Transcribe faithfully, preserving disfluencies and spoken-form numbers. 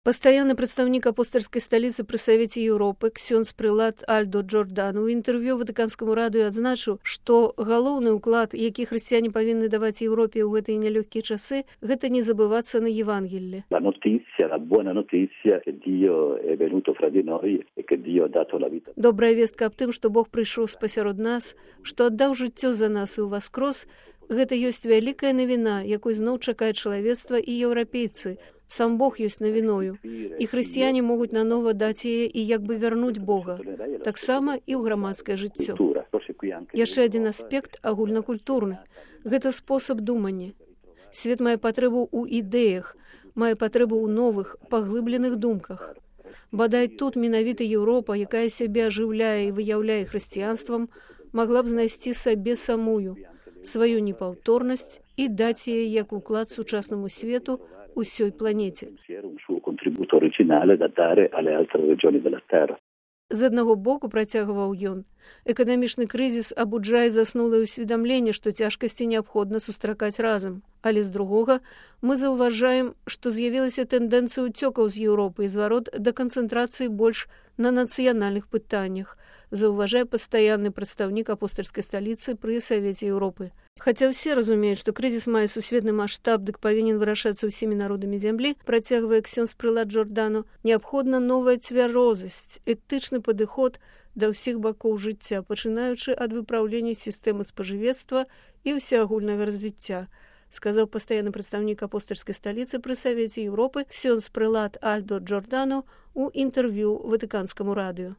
Пастаянны прадстаўнік апостальскай сталіцы пры Савеце Еўропы ксёндз прылад Альдо Джордану ў інтэрв'ю Ватыканскаму радыё адзначыў, што галоўны ўклад, які хрысціяне павінны даваць Еўропе ў гэтыя нялёгкія часы, гэта не забывацца на Евангелле. La notizia, la buona notizia che Dio è venuto fra di noi e che Dio ha dato la vita. Добрая вестка аб тым, што Бог прыйшоў спасярод нас, што аддаў жыццё за нас і ўваскрос, гэта ёсць вялікая навіна, якой зноў чакае чалавецтва і еўрапейцы. Сам Бог ёсць навіною, і хрысціяне могуць нанова даць яе і як бы вярнуць Бога, таксама і ў грамадскае жыццё. Яшчэ адзін аспект агульнакультурны. Гэта спосаб думання. Свет мае патрэбу ў ідэях, мае патрэбу ў новых, паглыбленых думках. Бадай тут менавіта Еўропа, якая сябе ажыўляе і выяўляе хрысціянствам, магла б знайсці сабе самую, сваю непаўторнасць і даць яе як уклад сучаснаму свету усёй планеце. З аднаго боку, працягваў ён, эканамічны крызіс абуджае заснулае ўсведамленне, што цяжкасці неабходна сустракаць разам. Але з другога, мы заўважаем, што з'явілася тэндэнцыя ўцёкаў з Еўропы і зварот да канцэнтрацыі больш на нацыянальных пытаннях, заўважае пастаянны прадстаўнік апостальскай сталіцы пры Савеце Еўропы. Хаця ўсе разумеюць, што крызіс мае сусветны маштаб, дык павінен вырашацца ўсімі народамі зямлі, працягвае ксёндз прылад Джордану, неабходна новая цвярозасць, этычны падыход да ўсіх бакоў жыцця, пачынаючы ад выпраўлення сістэмы спажывецтва і ўсеагульнага развіцця, сказаў пастаянны прадстаўнік апостальскай сталіцы пры Савеце Еўропы ксёндз прылад Альдо Джордану ў інтэрв'ю Ватыканскаму радыё.